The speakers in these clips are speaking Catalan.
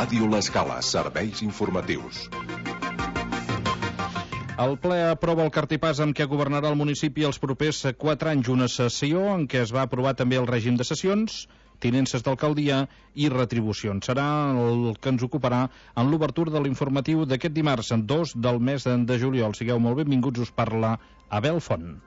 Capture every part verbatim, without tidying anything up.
Ràdio L'Escala, serveis informatius. El ple aprova el cartipàs amb què governarà el municipi els propers quatre anys, una sessió en què es va aprovar també el règim de sessions, tinences d'alcaldia i retribucions. Serà el que ens ocuparà en l'obertura de l'informatiu d'aquest dimarts, dos del mes de juliol. Sigueu molt benvinguts, us parla Abel Font.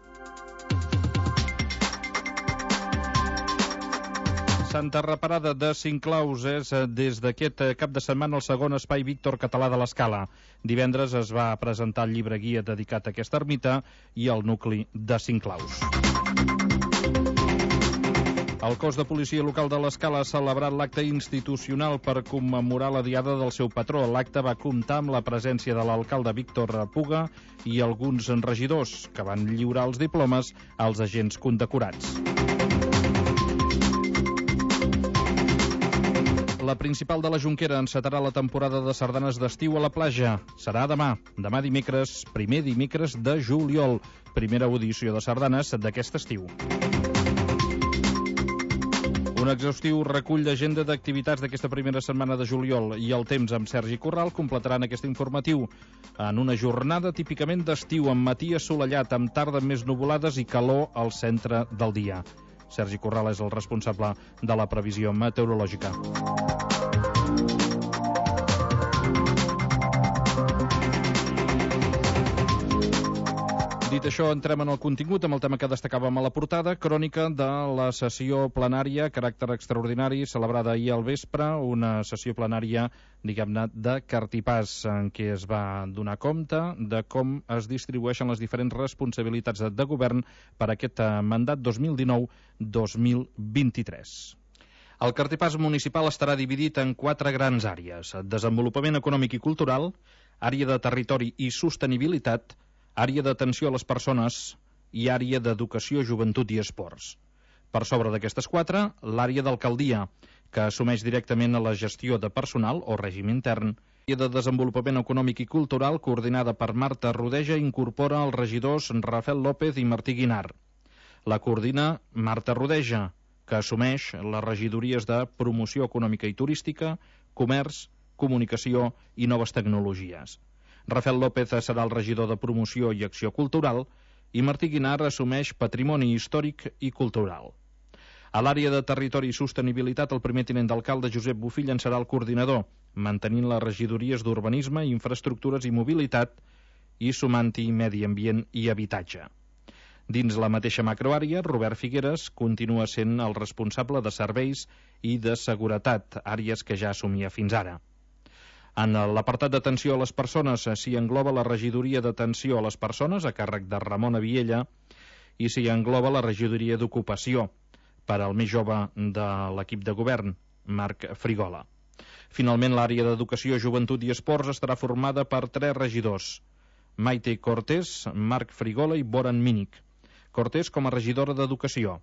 Santa Reparada de Cinclaus és des d'aquest cap de setmana el segon espai Víctor Català de l'Escala. Divendres es va presentar el llibre guia dedicat a aquesta ermita i al nucli de Cinclaus. El cos de policia local de l'Escala ha celebrat l'acte institucional per commemorar la diada del seu patró. L'acte va comptar amb la presència de l'alcalde Víctor Puga i alguns regidors que van lliurar els diplomes als agents condecorats. La principal de la Jonquera encetarà la temporada de sardanes d'estiu a la platja. Serà demà, demà dimecres, primer dimecres de juliol. Primera audició de sardanes d'aquest estiu. Un exhaustiu recull d'agenda d'activitats d'aquesta primera setmana de juliol i el temps amb Sergi Corral completaran aquest informatiu en una jornada típicament d'estiu, amb matí assolellat, amb tarda més nuvolades i calor al centre del dia. Sergi Corral és el responsable de la previsió meteorològica. Dit això, entrem en el contingut amb el tema que destacàvem a la portada, crònica de la sessió plenària, caràcter extraordinari, celebrada ahir al vespre, una sessió plenària, diguem-ne, de cartipàs, en què es va donar compte de com es distribueixen les diferents responsabilitats de govern per a aquest mandat dos mil dinou dos mil vint-i-tres. El cartipàs municipal estarà dividit en quatre grans àrees: desenvolupament econòmic i cultural, àrea de territori i sostenibilitat, àrea d'atenció a les persones i àrea d'educació, joventut i esports. Per sobre d'aquestes quatre, l'àrea d'alcaldia, que assumeix directament la gestió de personal o règim intern. L'àrea de desenvolupament econòmic i cultural, coordinada per Marta Rodeja, incorpora els regidors Rafael López i Martí Guinar. La coordina Marta Rodeja, que assumeix les regidories de promoció econòmica i turística, comerç, comunicació i noves tecnologies. Rafael López serà el regidor de Promoció i Acció Cultural i Martí Guinar assumeix Patrimoni Històric i Cultural. A l'àrea de Territori i Sostenibilitat, el primer tinent d'alcalde Josep Bofill en serà el coordinador, mantenint les regidories d'Urbanisme, Infraestructures i Mobilitat i sumant-hi Medi Ambient i Habitatge. Dins la mateixa macroàrea, Robert Figueres continua sent el responsable de Serveis i de Seguretat, àrees que ja assumia fins ara. En l'apartat d'atenció a les persones s'hi engloba la regidoria d'atenció a les persones a càrrec de Ramon Aviella i s'hi engloba la regidoria d'ocupació per al més jove de l'equip de govern, Marc Frigola. Finalment, l'àrea d'educació, joventut i esports estarà formada per tres regidors: Maite Cortés, Marc Frigola i Boran Mínic. Cortés com a regidora d'educació,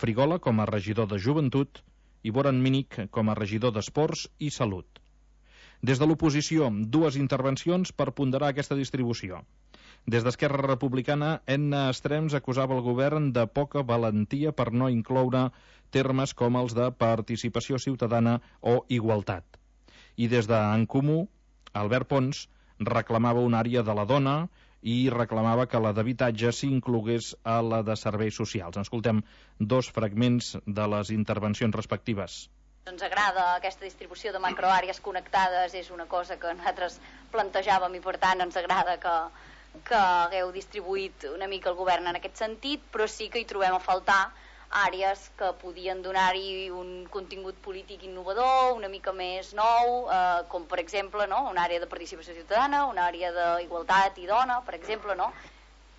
Frigola com a regidor de joventut i Boran Mínic com a regidor d'esports i salut. Des de l'oposició, dues intervencions per ponderar aquesta distribució. Des d'Esquerra Republicana, Enna Estrems acusava el govern de poca valentia per no incloure termes com els de participació ciutadana o igualtat. I des d'En Comú, Albert Pons reclamava una àrea de la dona i reclamava que la d'habitatge s'inclogués a la de serveis socials. Escoltem dos fragments de les intervencions respectives. Ens agrada aquesta distribució de macroàrees connectades, és una cosa que nosaltres plantejàvem i per tant ens agrada que, que hagueu distribuït una mica el govern en aquest sentit, però sí que hi trobem a faltar àrees que podien donar-hi un contingut polític innovador, una mica més nou, eh, com per exemple, no? Una àrea de participació ciutadana, una àrea d'igualtat i dona, per exemple, no?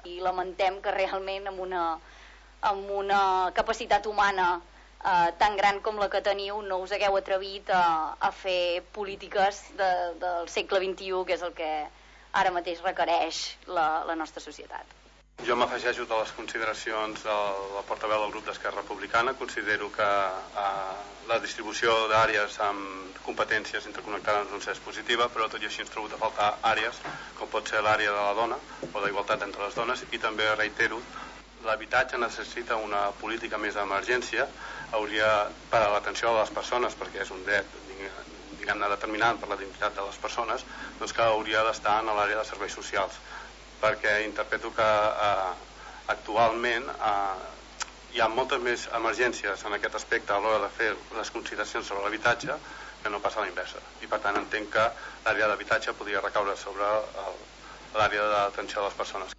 I lamentem que realment amb una, amb una capacitat humana Uh, tan gran com la que teniu no us hagueu atrevit a, a fer polítiques de, del segle vint-i-u, que és el que ara mateix requereix la, la nostra societat. Jo m'afegeixo a les consideracions de la portaveu del grup d'Esquerra Republicana. Considero que uh, la distribució d'àrees amb competències interconnectades doncs és positiva, però tot i així ens trobo a faltar àrees com pot ser l'àrea de la dona o d'igualtat entre les dones, i també reitero, l'habitatge necessita una política més d'emergència, hauria per a l'atenció a les persones, perquè és un dret, diguem-ne, determinant per la dignitat de les persones, doncs que hauria d'estar en l'àrea de serveis socials, perquè interpreto que eh, actualment eh, hi ha moltes més emergències en aquest aspecte a l'hora de fer les consideracions sobre l'habitatge que no passa a la inversa, i per tant entenc que l'àrea d'habitatge podria recaure sobre l'àrea d'atenció a les persones.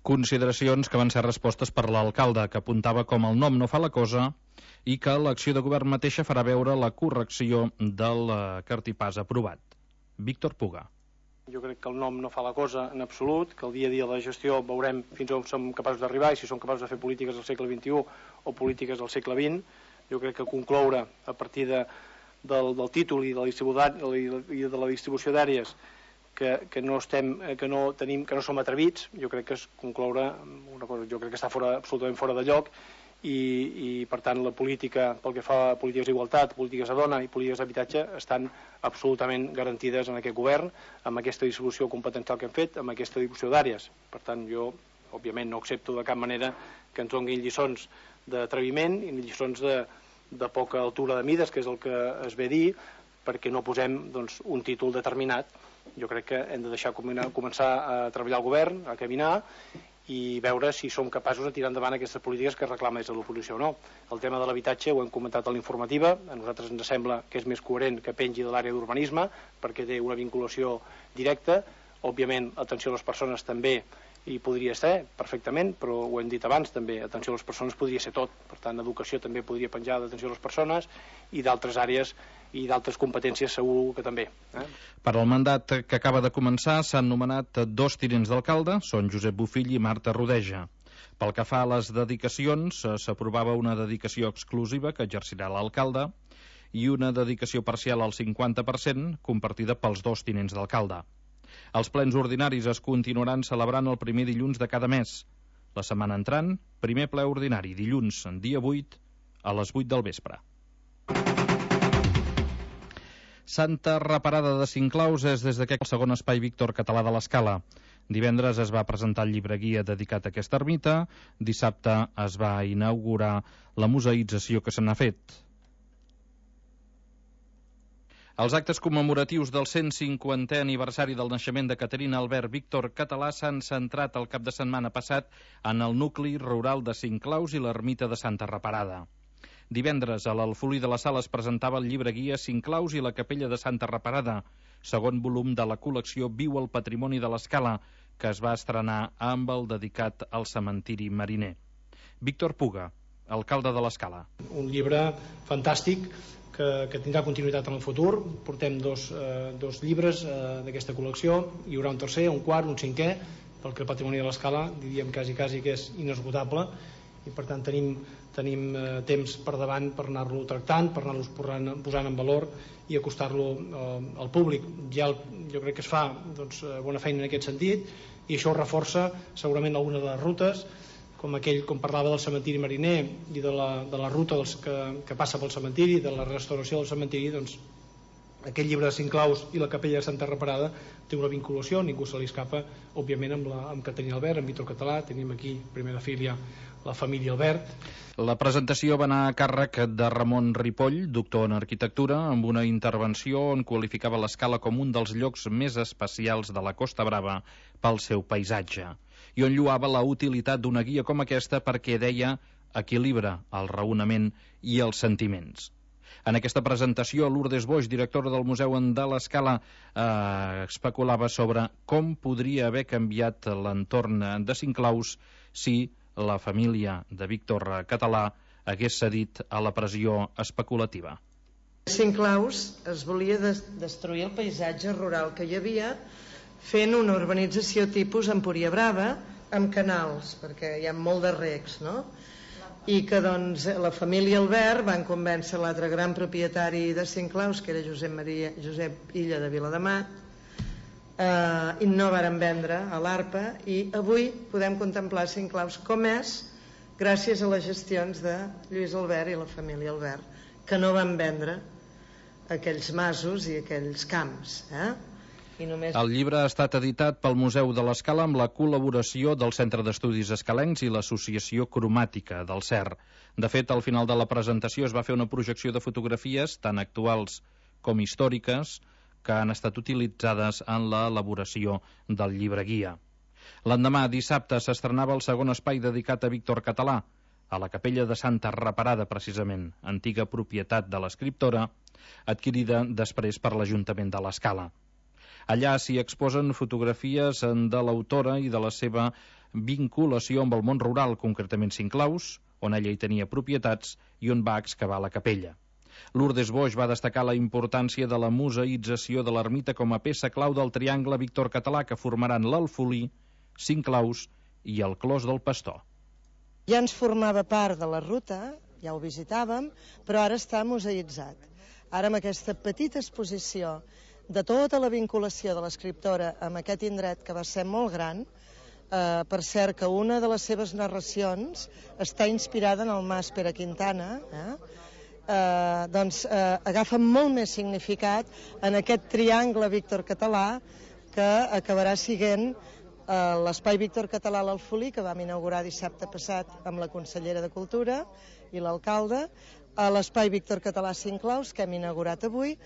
Consideracions que van ser respostes per l'alcalde, que apuntava com el nom no fa la cosa i que l'acció de govern mateixa farà veure la correcció del cartipàs aprovat. Víctor Puga. Jo crec que el nom no fa la cosa en absolut, que el dia a dia de la gestió veurem fins on som capaços d'arribar i si som capaços de fer polítiques del segle vint-i-u o polítiques del segle vint. Jo crec que concloure a partir de, del, del títol i de la, i de la distribució d'àrees que, que no estem, que no tenim, que no som atrevits, jo crec que és concloure una cosa, jo crec que està fora, absolutament fora de lloc. I, i per tant la política, pel que fa a polítiques d'igualtat, polítiques de dona i polítiques d'habitatge estan absolutament garantides en aquest govern, amb aquesta distribució competencial que hem fet, amb aquesta distribució d'àrees. Per tant, jo, òbviament, no accepto de cap manera que ens donin lliçons d'atreviment i lliçons de, de poca altura de mides, que és el que es ve a dir, perquè no posem doncs, un títol determinat. Jo crec que hem de deixar començar a treballar al govern, a caminar, i veure si som capaços de tirar endavant aquestes polítiques que reclama des de l'oposició o no. El tema de l'habitatge ho hem comentat a l'informativa, a nosaltres ens sembla que és més coherent que pengi de l'àrea d'urbanisme perquè té una vinculació directa. Òbviament, atenció a les persones també hi podria ser perfectament, però ho hem dit abans també, atenció a les persones podria ser tot. Per tant, educació també podria penjar d'atenció a les persones i d'altres àrees i d'altres competències segur que també. Eh? Per al mandat que acaba de començar s'han nomenat dos tinents d'alcalde, són Josep Bofill i Marta Rodeja. Pel que fa a les dedicacions, s'aprovava una dedicació exclusiva que exercirà l'alcalde i una dedicació parcial al cinquanta per cent compartida pels dos tinents d'alcalde. Els plens ordinaris es continuaran celebrant el primer dilluns de cada mes. La setmana entrant, primer ple ordinari, dilluns, dia vuit, a les vuit del vespre. Santa Reparada de Sinclaus és des d'aquest segon espai Víctor Català de l'Escala. Divendres es va presentar el llibre guia dedicat a aquesta ermita, dissabte es va inaugurar la museïtzació que se n'ha fet. Els actes commemoratius del cent cinquantè aniversari del naixement de Caterina Albert Víctor Català s'han centrat el cap de setmana passat en el nucli rural de Sinclaus i l'ermita de Santa Reparada. Divendres, a l'Alfolí de la Sala es presentava el llibre guia Sinclaus i la capella de Santa Reparada, segon volum de la col·lecció Viu el patrimoni de l'Escala, que es va estrenar amb el dedicat al cementiri mariner. Víctor Puga, alcalde de l'Escala. Un llibre fantàstic que, que tindrà continuïtat en el futur. Portem dos, eh, dos llibres eh, d'aquesta col·lecció, hi haurà un tercer, un quart, un cinquè, perquè el patrimoni de l'Escala diríem quasi, quasi que és inesgotable i per tant tenim, tenim eh, temps per davant per anar-lo tractant, per anar-lo posant, posant en valor i acostar-lo eh, al públic. Ja el, jo crec que es fa doncs, bona feina en aquest sentit i això reforça segurament algunes de les rutes, com aquell, com parlava del cementiri mariner i de la, de la ruta dels que, que passa pel cementiri, de la restauració del cementiri, doncs aquest llibre de Sinclaus i la capella de Santa Reparada té una vinculació, ningú se li escapa, òbviament amb, la, amb Caterina Albert, amb Víctor Català, tenim aquí primera filia la família Albert. La presentació va anar a càrrec de Ramon Ripoll, doctor en arquitectura, amb una intervenció on qualificava l'Escala com un dels llocs més especials de la Costa Brava pel seu paisatge, i on lloava la utilitat d'una guia com aquesta perquè, deia, equilibra el raonament i els sentiments. En aquesta presentació, Lourdes Boix, directora del Museu de l'Escala, eh, especulava sobre com podria haver canviat l'entorn de Sinclaus si la família de Víctor Català hagués cedit a la pressió especulativa. Sinclaus es volia des destruir el paisatge rural que hi havia fent una urbanització tipus Empúria Brava amb canals, perquè hi ha molt de recs, no? I que doncs la família Albert van convèncer l'altre gran propietari de Sinclaus, que era Josep Maria Josep Illa de Vilademat, eh, i no varen vendre a l'Arpa, i avui podem contemplar Sinclaus com és gràcies a les gestions de Lluís Albert i la família Albert, que no van vendre aquells masos i aquells camps, eh? I només... El llibre ha estat editat pel Museu de l'Escala amb la col·laboració del Centre d'Estudis Escalencs i l'Associació Cromàtica del C E R. De fet, al final de la presentació es va fer una projecció de fotografies, tant actuals com històriques, que han estat utilitzades en l'elaboració del llibre guia. L'endemà, dissabte, s'estrenava el segon espai dedicat a Víctor Català, a la capella de Santa Reparada, precisament, antiga propietat de l'escriptora, adquirida després per l'Ajuntament de l'Escala. Allà s'hi exposen fotografies de l'autora i de la seva vinculació amb el món rural, concretament Cinclaus, on ella hi tenia propietats i on va excavar la capella. Lourdes Boix va destacar la importància de la museïtzació de l'ermita com a peça clau del triangle Víctor Català que formaran l'Alfolí, Cinclaus i el Clos del Pastor. Ja ens formava part de la ruta, ja ho visitàvem, però ara està museïtzat. Ara amb aquesta petita exposició de tota la vinculació de l'escriptora amb aquest indret que va ser molt gran, eh, per cert que una de les seves narracions està inspirada en el Mas Pere Quintana, eh? Eh, doncs eh, agafa molt més significat en aquest triangle Víctor Català que acabarà siguent eh, l'espai Víctor Català a l'Alfolí, que vam inaugurar dissabte passat amb la consellera de Cultura i l'alcalde, a l'espai Víctor Català Cinclaus, que hem inaugurat avui,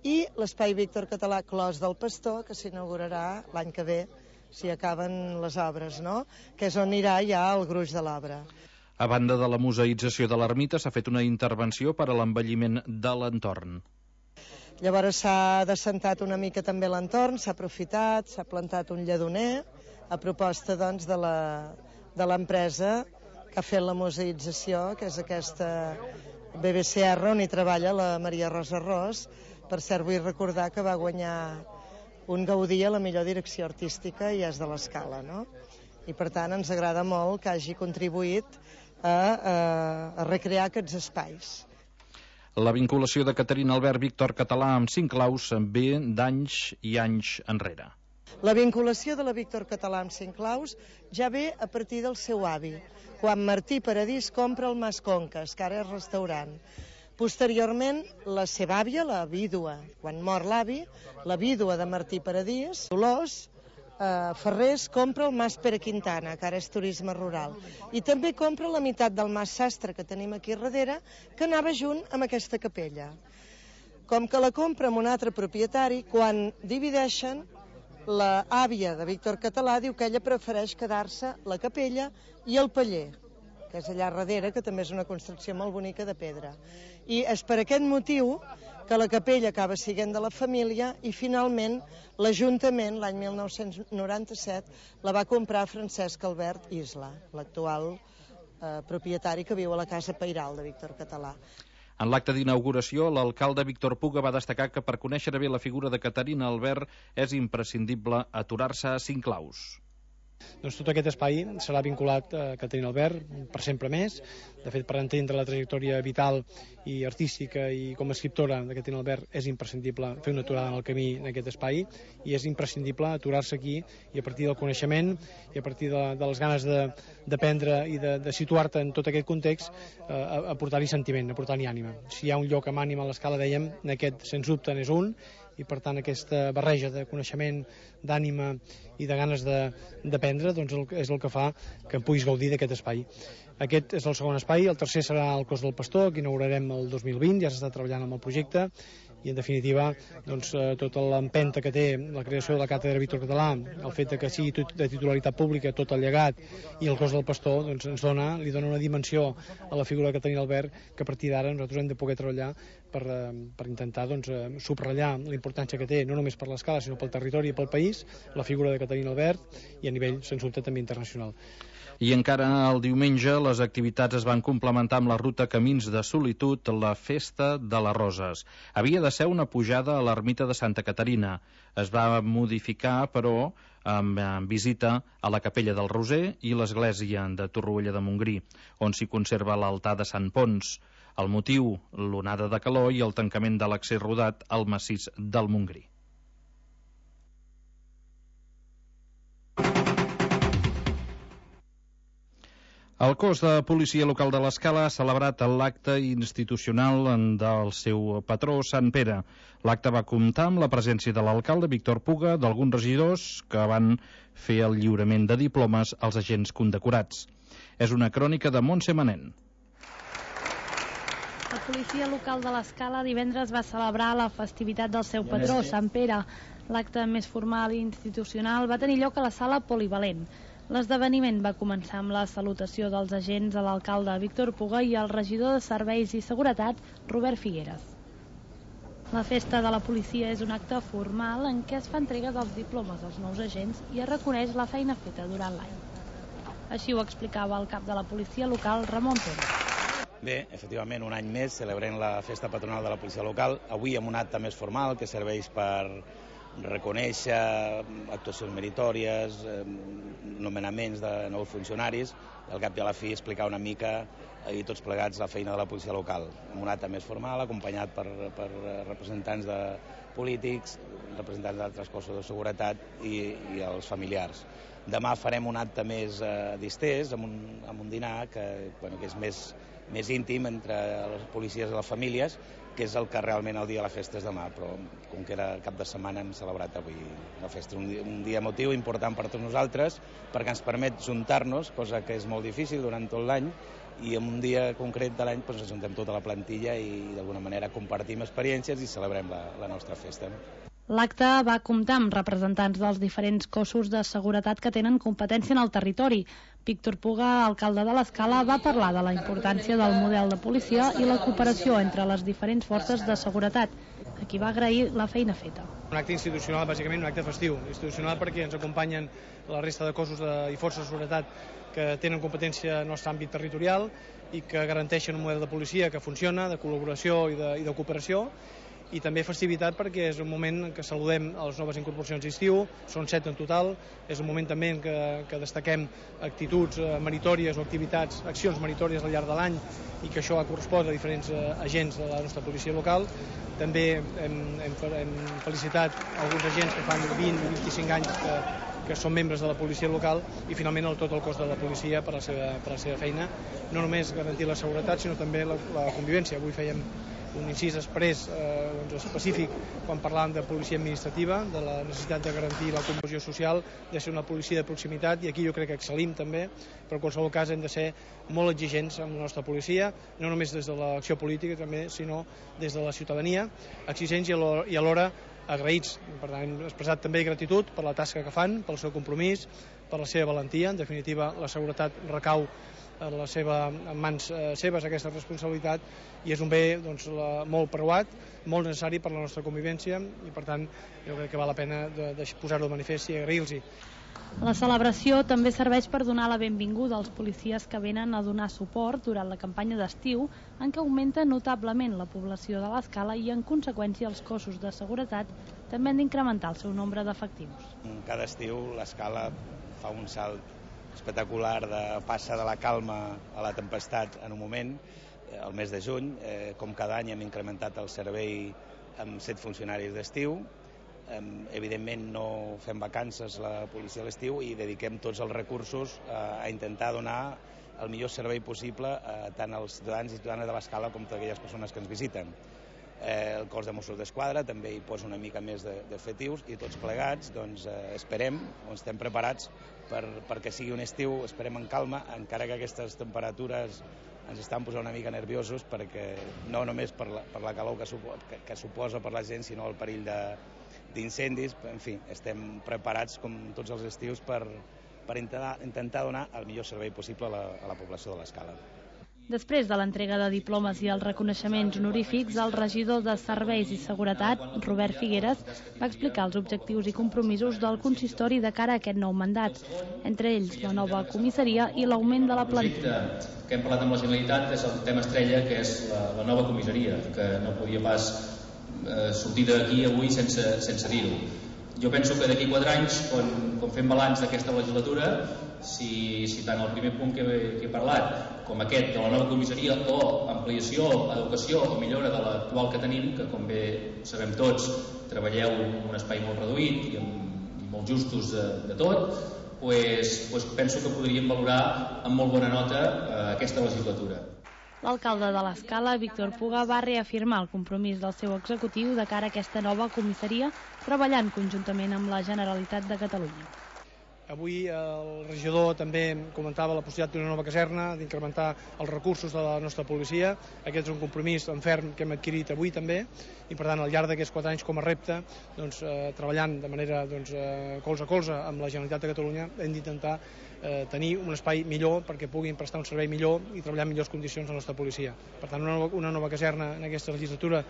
i l'espai Víctor Català Clos del Pastor, que s'inaugurarà l'any que ve, si acaben les obres, no? Que és on anirà ja el gruix de l'obra. A banda de la museïtzació de l'ermita, s'ha fet una intervenció per a l'embelliment de l'entorn. Llavors s'ha descentat una mica també l'entorn, s'ha aprofitat, s'ha plantat un lledoner, a proposta doncs, de l'empresa que ha fet la museïtzació, que és aquesta B B C R, on hi treballa la Maria Rosa Ros. Per cert, vull recordar que va guanyar un Gaudí a la millor direcció artística i és de l'Escala, no? I per tant ens agrada molt que hagi contribuït a, a, a recrear aquests espais. La vinculació de Caterina Albert Víctor Català amb Cinclaus ve d'anys i anys enrere. La vinculació de la Víctor Català amb Cinclaus ja ve a partir del seu avi, quan Martí Paradís compra el Mas Conques, que ara és restaurant. Posteriorment, la seva àvia, la vídua, quan mor l'avi, la vídua de Martí Paradís, Dolors eh, Ferrés, compra el Mas Pere Quintana, que ara és turisme rural. I també compra la meitat del Mas Sastre, que tenim aquí darrere, que anava junt amb aquesta capella. Com que la compra amb un altre propietari, quan divideixen, la àvia de Víctor Català diu que ella prefereix quedar-se la capella i el paller, que és allà darrere, que també és una construcció molt bonica de pedra. I és per aquest motiu que la capella acaba sent de la família i finalment l'Ajuntament, l'any mil nou-cents noranta-set, la va comprar Francesc Albert Isla, l'actual eh, propietari que viu a la Casa Pairal de Víctor Català. En l'acte d'inauguració, l'alcalde Víctor Puga va destacar que per conèixer bé la figura de Caterina Albert és imprescindible aturar-se a Cinclaus. Doncs tot aquest espai serà vinculat a Caterina Albert per sempre més. De fet, per entendre la trajectòria vital i artística i com a escriptora de Caterina Albert és imprescindible fer una aturada en el camí en aquest espai i és imprescindible aturar-se aquí i a partir del coneixement i a partir de, de les ganes d'aprendre i de, de situar-te en tot aquest context eh, aportar-hi sentiment, aportar-hi ànima. Si hi ha un lloc amb ànima a l'Escala, dèiem, aquest sens dubte n'és un, i per tant aquesta barreja de coneixement, d'ànima i de ganes d'aprendre doncs és el que fa que en puguis gaudir d'aquest espai. Aquest és el segon espai, el tercer serà el Clos del Pastor, que inaugurarem el dos mil vint, ja s'està treballant amb el projecte, i en definitiva doncs, tota l'empenta que té la creació de la càtedra Víctor Català, el fet que sigui de titularitat pública tot el llegat i el Clos del Pastor doncs, ens dona, li dona una dimensió a la figura de Caterina Albert que a partir d'ara nosaltres hem de poder treballar per, per intentar doncs, subratllar la importància que té no només per l'Escala sinó pel territori i pel país la figura de Caterina Albert i a nivell sens dubte també internacional. I encara el diumenge les activitats es van complementar amb la ruta Camins de Solitud, la Festa de les Roses. Havia de ser una pujada a l'ermita de Santa Caterina. Es va modificar, però, amb visita a la Capella del Roser i l'església de Torroella de Montgrí, on s'hi conserva l'altar de Sant Pons. El motiu, l'onada de calor i el tancament de l'accés rodat al massís del Montgrí. El cos de policia local de l'Escala ha celebrat l'acte institucional del seu patró, Sant Pere. L'acte va comptar amb la presència de l'alcalde Víctor Puga, d'alguns regidors que van fer el lliurament de diplomes als agents condecorats. És una crònica de Montse Manent. La policia local de l'Escala divendres va celebrar la festivitat del seu patró, Sant Pere. L'acte més formal i institucional va tenir lloc a la sala Polivalent. L'esdeveniment va començar amb la salutació dels agents a l'alcalde Víctor Puga i al regidor de Serveis i Seguretat, Robert Figueres. La festa de la policia és un acte formal en què es fa entrega dels diplomes als nous agents i es reconeix la feina feta durant l'any. Així ho explicava el cap de la policia local, Ramon Pérez. Bé, efectivament, un any més celebrem la festa patronal de la policia local, avui amb un acte més formal que serveix per reconèixer actuacions meritòries, eh, nomenaments de nous funcionaris, i al cap i a la fi explicar una mica i tots plegats la feina de la policia local, amb un acte més formal, acompanyat per, per representants de polítics, representants d'altres cossos de seguretat i, i els familiars. Demà farem un acte més eh, distès, amb un, amb un dinar que, bueno, que és més més íntim entre les policies i les famílies, que és el que realment el dia de la festa és demà, però com que era cap de setmana hem celebrat avui la festa. Un dia, un dia emotiu important per tots nosaltres, perquè ens permet juntar-nos, cosa que és molt difícil durant tot l'any, i en un dia concret de l'any doncs, ajuntem tota la plantilla i d'alguna manera compartim experiències i celebrem la, la nostra festa. L'acte va comptar amb representants dels diferents cossos de seguretat que tenen competència en el territori. Víctor Puga, alcalde de l'Escala, va parlar de la importància del model de policia i la cooperació entre les diferents forces de seguretat, a qui va agrair la feina feta. Un acte institucional, bàsicament un acte festiu. Institucional perquè ens acompanyen la resta de cossos de, i forces de seguretat que tenen competència en el nostre àmbit territorial i que garanteixen un model de policia que funciona, de col·laboració i de, i de cooperació, i també festivitat perquè és un moment en què saludem a les noves incorporacions d'estiu, són set en total, és un moment també en què, que destaquem actituds meritòries o activitats, accions meritòries al llarg de l'any i que això correspon a diferents agents de la nostra policia local. També hem, hem, hem felicitat alguns agents que fan vint o vint-i-cinc anys que, que són membres de la policia local i finalment el, tot el cos de la policia per la seva, per la seva feina, no només garantir la seguretat sinó també la, la convivència. Avui fèiem un incís exprés eh, doncs específic quan parlàvem de policia administrativa, de la necessitat de garantir la cohesió social, de ser una policia de proximitat, i aquí jo crec que excel·lim també, però en qualsevol cas hem de ser molt exigents amb la nostra policia, no només des de l'acció política també, sinó des de la ciutadania, exigents i alhora agraïts. Per tant, hem expressat també gratitud per la tasca que fan, pel seu compromís, per la seva valentia. En definitiva, la seguretat recau en la seva, en mans eh, seves aquesta responsabilitat i és un bé doncs, la, molt preuat, molt necessari per la nostra convivència i per tant jo crec que val la pena de, de posar-ho de manifest i agrair-los-hi. La celebració també serveix per donar la benvinguda als policies que venen a donar suport durant la campanya d'estiu en què augmenta notablement la població de l'Escala i en conseqüència els cossos de seguretat també han d'incrementar el seu nombre d'efectius. Cada estiu l'Escala fa un salt espectacular, de passa de la calma a la tempestat en un moment, el mes de juny. Eh, com cada any hem incrementat el servei amb set funcionaris d'estiu. Eh, evidentment no fem vacances la policia a l'estiu i dediquem tots els recursos eh, a intentar donar el millor servei possible a tant als ciutadans i ciutadanes de l'Escala com a aquelles persones que ens visiten. Eh, el cos de Mossos d'Esquadra també hi posa una mica més d'efectius i tots plegats doncs, eh, esperem o estem preparats per, perquè sigui un estiu, esperem en calma, encara que aquestes temperatures ens estan posant una mica nerviosos perquè no només per la, per la calor que, supo, que, que suposa per la gent sinó el perill d'incendis. En fi, estem preparats com tots els estius per, per intentar, intentar donar el millor servei possible a la, a la població de l'Escala. Després de l'entrega de diplomes i els reconeixements honorífics, el regidor de Serveis i Seguretat, Robert Figueres, va explicar els objectius i compromisos del consistori de cara a aquest nou mandat, entre ells la nova comissaria i l'augment de la plantilla. El projecte que hem parlat amb la Generalitat és el tema estrella, que és la, la nova comissaria, que no podia pas eh, sortir d'aquí avui sense, sense dir-ho. Jo penso que d'aquí quatre anys, quan, quan fem balanç d'aquesta legislatura, si, si tant el primer punt que he, que he parlat com aquest de la nova comissaria o ampliació, educació o millora de l'actual que tenim, que com bé sabem tots treballeu en un espai molt reduït i, amb, i molt justos de, de tot, pues, pues penso que podríem valorar amb molt bona nota eh, aquesta legislatura. L'alcalde de l'Escala, Víctor Puga, va reafirmar el compromís del seu executiu de cara a aquesta nova comissaria, treballant conjuntament amb la Generalitat de Catalunya. Avui el regidor també comentava la possibilitat d'una nova caserna, d'incrementar els recursos de la nostra policia. Aquest és un compromís en ferm que hem adquirit avui també, i per tant al llarg d'aquests quatre anys com a repte, doncs, eh, treballant de manera doncs, eh, colze a colze amb la Generalitat de Catalunya, hem d'intentar eh, tenir un espai millor perquè puguin prestar un servei millor i treballar en millors condicions a la nostra policia. Per tant, una nova, una nova caserna en aquesta legislatura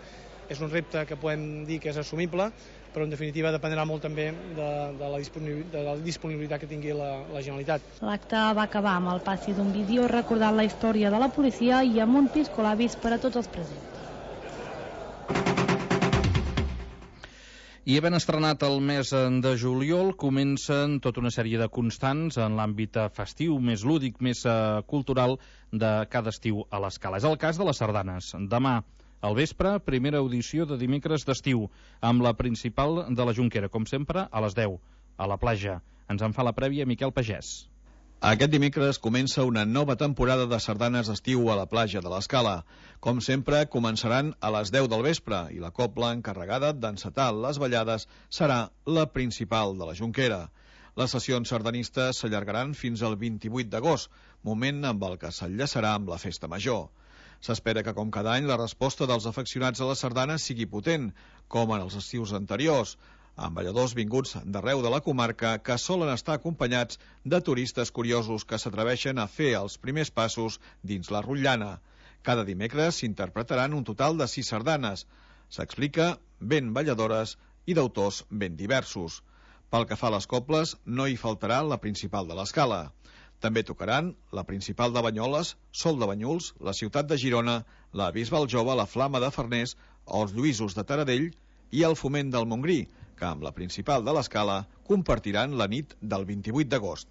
és un repte que podem dir que és assumible, però en definitiva dependrà molt també de, de, la, disponibilitat, de la disponibilitat que tingui la, la Generalitat. L'acte va acabar amb el passi d'un vídeo recordant la història de la policia i amb un piscolabis per a tots els presents. I havent estrenat el mes de juliol, comencen tota una sèrie de constants en l'àmbit festiu, més lúdic, més uh, cultural de cada estiu a l'Escala. És el cas de les sardanes. Demà, al vespre, primera audició de dimecres d'estiu, amb la principal de la Jonquera, com sempre, a les deu, a la platja. Ens en fa la prèvia Miquel Pagès. Aquest dimecres comença una nova temporada de sardanes d'estiu a la platja de l'Escala. Com sempre, començaran a les deu del vespre i la cobla encarregada d'encetar les ballades serà la principal de la Jonquera. Les sessions sardanistes s'allargaran fins al vint-i-vuit d'agost, moment amb el que s'enllaçarà amb la festa major. S'espera que, com cada any, la resposta dels afeccionats a les sardanes sigui potent, com en els estius anteriors, amb balladors vinguts d'arreu de la comarca que solen estar acompanyats de turistes curiosos que s'atreveixen a fer els primers passos dins la rotllana. Cada dimecres s'interpretaran un total de sis sardanes. S'explica ben balladores i d'autors ben diversos. Pel que fa a les cobles, no hi faltarà la principal de l'Escala. També tocaran la principal de Banyoles, Sol de Banyuls, la ciutat de Girona, la Bisbal Jove, la Flama de Farners, els Lluïsos de Taradell i el Foment del Montgrí, que amb la principal de l'Escala compartiran la nit del vint-i-vuit d'agost.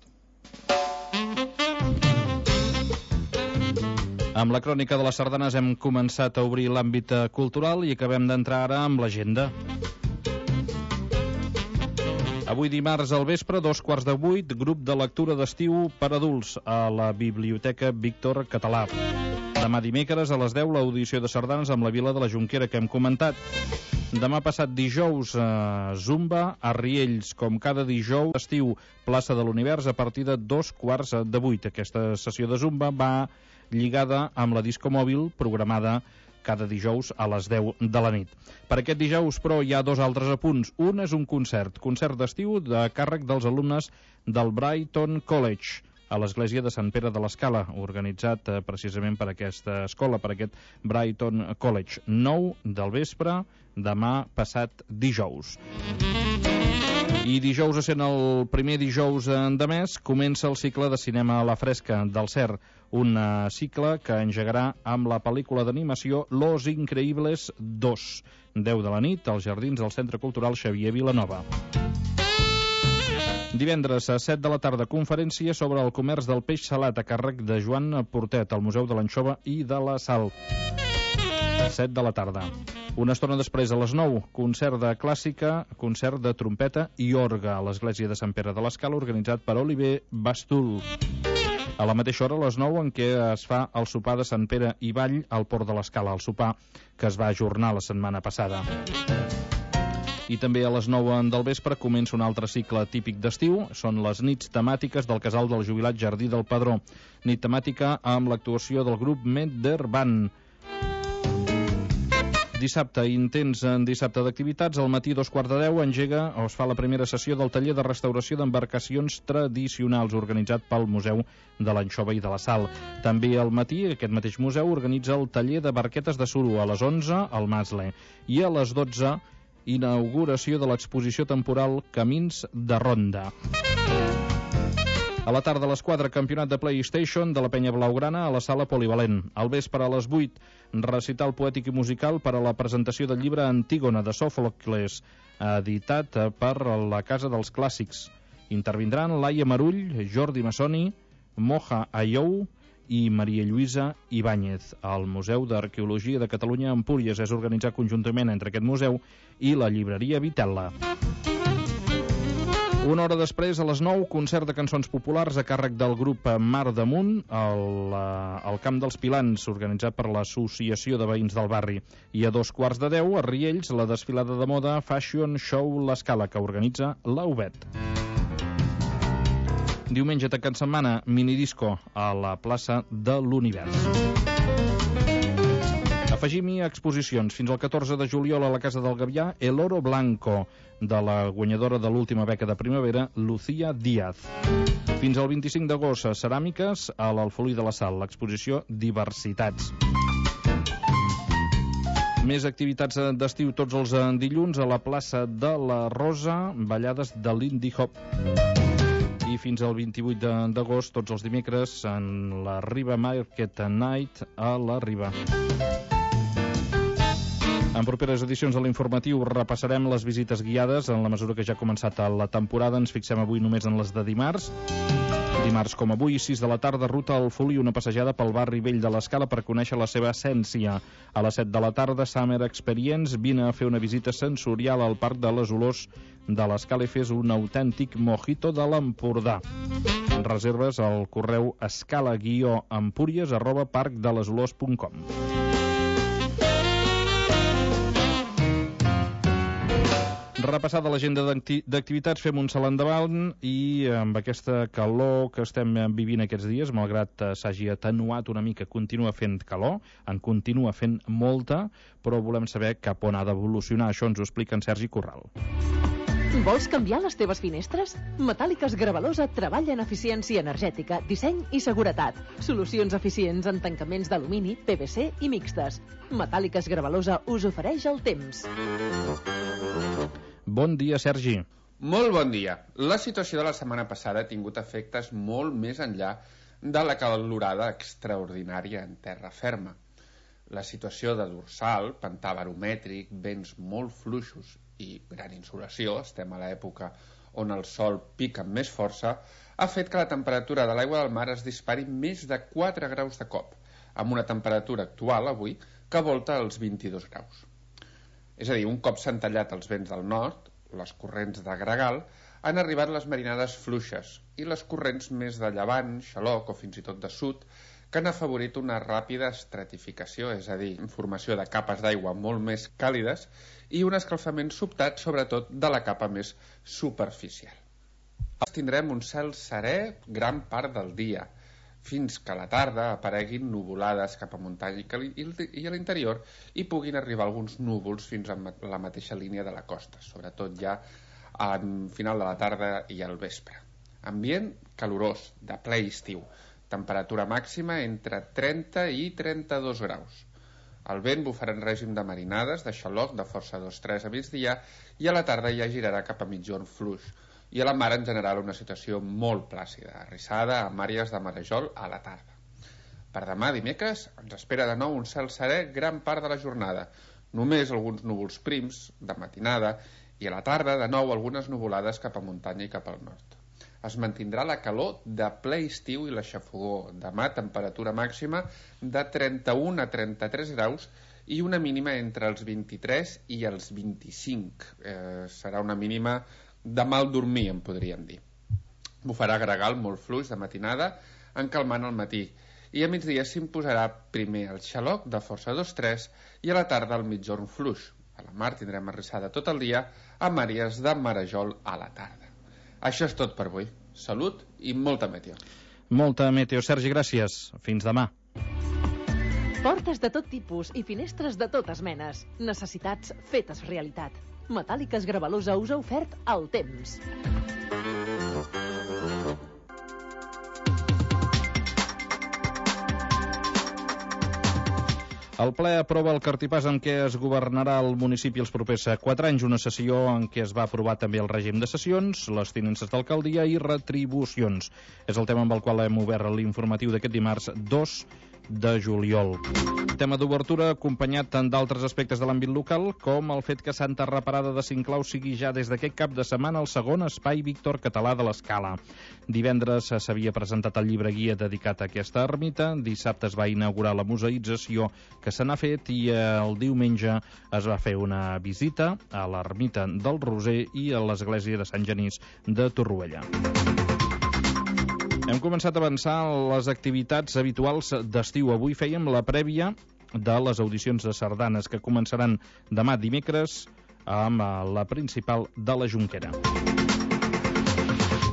Amb la crònica de les sardanes hem començat a obrir l'àmbit cultural i acabem d'entrar ara amb l'agenda. Avui dimarts al vespre, dos quarts de vuit, grup de lectura d'estiu per adults a la Biblioteca Víctor Català. Demà dimecres a les deu l'audició de sardanes amb la Vila de la Jonquera que hem comentat. Demà passat dijous, eh, Zumba a Riells, com cada dijous estiu, plaça de l'Univers a partir de dos quarts de vuit. Aquesta sessió de Zumba va lligada amb la disco mòbil programada cada dijous a les deu de la nit. Per aquest dijous, però, hi ha dos altres apunts. Un és un concert, concert d'estiu de càrrec dels alumnes del Brighton College, a l'església de Sant Pere de l'Escala, organitzat eh, precisament per aquesta escola, per aquest Brighton College. nou del vespre, demà passat dijous. I dijous, essent el primer dijous de mes, comença el cicle de cinema a la fresca del C E R, un cicle que engegarà amb la pel·lícula d'animació Los Increíbles dos, deu de la nit, als jardins del Centre Cultural Xavier Vilanova. Divendres a set de la tarda, conferència sobre el comerç del peix salat a càrrec de Joan Portet, al Museu de l'Anxova i de la Sal. set de la tarda. Una estona després, a les nou, concert de clàssica, concert de trompeta i orgue a l'església de Sant Pere de l'Escala, organitzat per Oliver Bastul. A la mateixa hora, a les nou, en què es fa el sopar de Sant Pere i Vall al Port de l'Escala, el sopar que es va ajornar la setmana passada. I també a les nou del vespre comença un altre cicle típic d'estiu, són les nits temàtiques del Casal del Jubilat Jardí del Padró. Nit temàtica amb l'actuació del grup Medderban. Dissabte, intens en dissabte d'activitats, al matí dos quarts de deu engega o es fa la primera sessió del taller de restauració d'embarcacions tradicionals organitzat pel Museu de l'Anxova i de la Sal. També al matí, aquest mateix museu organitza el taller de barquetes de suro a les onze al Masle i a les dotze inauguració de l'exposició temporal Camins de Ronda. A la tarda a les quatre, campionat de PlayStation de la Penya Blaugrana a la sala polivalent. Al vespre a les vuit, recital poètic i musical per a la presentació del llibre Antígona de Sòfocles, editat per la Casa dels Clàssics. Intervindran Laia Marull, Jordi Massoni, Moja Ayou i Maria Lluïsa Ibáñez. El Museu d'Arqueologia de Catalunya a Empúries és organitzat conjuntament entre aquest museu i la llibreria Vitella. Una hora després, a les nou, concert de cançons populars a càrrec del grup Mar Damunt al, al Camp dels Pilans, organitzat per l'Associació de Veïns del Barri. I a dos quarts de deu, a Riells, la desfilada de moda Fashion Show L'Escala, que organitza l'A U B E T. Diumenge, tancant setmana, minidisco a la plaça de l'Univers. Afegim-hi exposicions. Fins al catorze de juliol a la Casa del Gavià, El Oro Blanco, de la guanyadora de l'última beca de primavera, Lucía Díaz. Fins al vint-i-cinc d'agost, ceràmiques a l'Alfolí de la Sal, l'exposició Diversitats. Més activitats d'estiu tots els dilluns a la plaça de la Rosa, ballades de l'Indie Hop. I fins al vint-i-vuit d'agost, tots els dimecres, en la Riba Market Night a la Riba. En properes edicions de l'informatiu repassarem les visites guiades. En la mesura que ja ha començat la temporada, ens fixem avui només en les de dimarts. Dimarts, com avui, sis de la tarda, ruta al Folí, una passejada pel barri vell de l'Escala per conèixer la seva essència. A les set de la tarda, Summer Experience, vine a fer una visita sensorial al Parc de les Olors de l'Escala i fes un autèntic mojito de l'Empordà. Reserves al correu escala guió empúries arroba parcdelesolors punt com. Repassada l'agenda d'activitats, fem un salt endavant i amb aquesta calor que estem vivint aquests dies, malgrat s'hagi atenuat una mica, continua fent calor, en continua fent molta, però volem saber cap on ha d'evolucionar. Això ens ho explica en Sergi Corral. Vols canviar les teves finestres? Metàl·liques Gravalosa treballa en eficiència energètica, disseny i seguretat. Solucions eficients en tancaments d'alumini, P V C i mixtes. Metàl·liques Gravalosa us ofereix el temps. Bon dia, Sergi. Molt bon dia. La situació de la setmana passada ha tingut efectes molt més enllà de la calorada extraordinària en terra ferma. La situació de dorsal, pantà baromètric, vents molt fluixos i gran insolació, estem a l'època on el sol pica amb més força, ha fet que la temperatura de l'aigua del mar es dispari més de quatre graus de cop, amb una temperatura actual, avui, que volta els vint-i-dos graus. És a dir, un cop s'han tallat els vents del nord, les corrents de gregal, han arribat les marinades fluixes i les corrents més de llevant, xaloc o fins i tot de sud, que han afavorit una ràpida estratificació, és a dir, formació de capes d'aigua molt més càlides i un escalfament sobtat, sobretot, de la capa més superficial. Tindrem un cel serè gran part del dia, fins que a la tarda apareguin nuvolades cap a muntanya i a l'interior i puguin arribar alguns núvols fins a la mateixa línia de la costa, sobretot ja al final de la tarda i al vespre. Ambient calorós, de ple estiu, temperatura màxima entre trenta i trenta-dos graus. El vent bufarà en règim de marinades, de xaloc, de força dos tres a migdia, i a la tarda ja girarà cap a mitjorn fluix, i a la mar en general una situació molt plàcida, arrissada amb àrees de marejol a la tarda. Per demà, dimecres, ens espera de nou un cel serè gran part de la jornada, només alguns núvols prims de matinada i a la tarda de nou algunes nuvolades cap a muntanya i cap al nord. Es mantindrà la calor de ple estiu i la xafogor. Demà temperatura màxima de trenta-un a trenta-tres graus i una mínima entre els vint-i-tres i els vint-i-cinc. Eh, serà una mínima de mal dormir, en podríem dir. Bufarà gregal molt fluix de matinada, encalmant al matí, i a migdia s'imposarà primer el xaloc de força dos tres i a la tarda el mitjorn fluix. A la mar tindrem arrissada tot el dia amb àrees de marejol a la tarda. Això és tot per avui. Salut i molta meteo. Molta meteo, Sergi, gràcies. Fins demà. Portes de tot tipus i finestres de totes menes. Necessitats fetes realitat. Metàl·liques Gravalosa us ha ofert el temps. El ple aprova el cartipàs en què es governarà el municipi els propers quatre anys, una sessió en què es va aprovar també el règim de sessions, les tinences d'alcaldia i retribucions. És el tema amb el qual hem obert l'informatiu d'aquest dimarts dos de juliol. Tema d'obertura acompanyat tant d'altres aspectes de l'àmbit local com el fet que Santa Reparada de Sinclau sigui ja des d'aquest cap de setmana el segon espai Víctor Català de l'Escala. Divendres s'havia presentat el llibre guia dedicat a aquesta ermita, dissabte es va inaugurar la museïtzació que se n'ha fet i el diumenge es va fer una visita a l'ermita del Roser i a l'església de Sant Genís de Torroella. Hem començat a avançar les activitats habituals d'estiu. Avui fèiem la prèvia de les audicions de sardanes que començaran demà dimecres amb la principal de la Jonquera.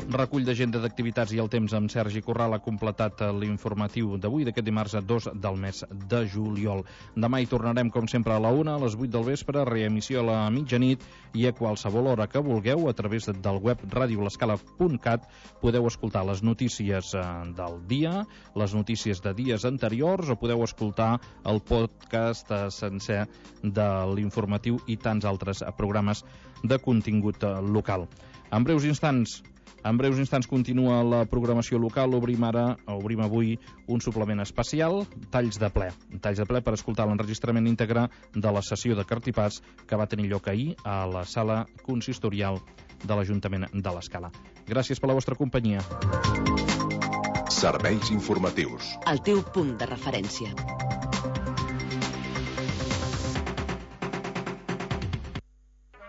Recull d'agenda d'activitats i el temps amb Sergi Corral ha completat l'informatiu d'avui, d'aquest dimarts a dos del mes de juliol. Demà hi tornarem, com sempre, a la una, a les vuit del vespre, reemissió a la mitjanit, i a qualsevol hora que vulgueu, a través del web radio l'escala punt cat, podeu escoltar les notícies del dia, les notícies de dies anteriors, o podeu escoltar el podcast sencer de l'informatiu i tants altres programes de contingut local. En breus instants, En breus instants continua la programació local. Obrim ara, obrim avui un suplement especial, talls de ple. Talls de ple per escoltar l'enregistrament íntegre de la sessió de Cartipàs que va tenir lloc ahir a la sala consistorial de l'Ajuntament de l'Escala. Gràcies per la vostra companyia. Serveis informatius. El teu punt de referència.